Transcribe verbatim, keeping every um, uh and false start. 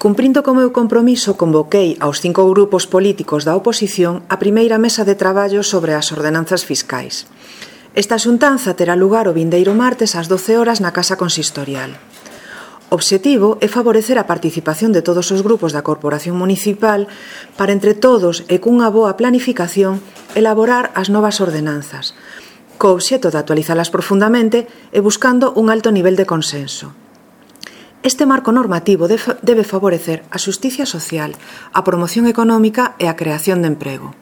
Cumprindo co meu compromiso, convoquei aos cinco grupos políticos da oposición a primeira mesa de traballo sobre as ordenanzas fiscais. Esta xuntanza terá lugar o vindeiro martes ás doce horas na Casa Consistorial. O obxectivo é favorecer a participación de todos os grupos da Corporación Municipal para, entre todos e cunha boa planificación, elaborar as novas ordenanzas, co obxecto de actualizalas profundamente e buscando un alto nivel de consenso. Este marco normativo debe favorecer a xusticia social, a promoción económica e a creación de emprego.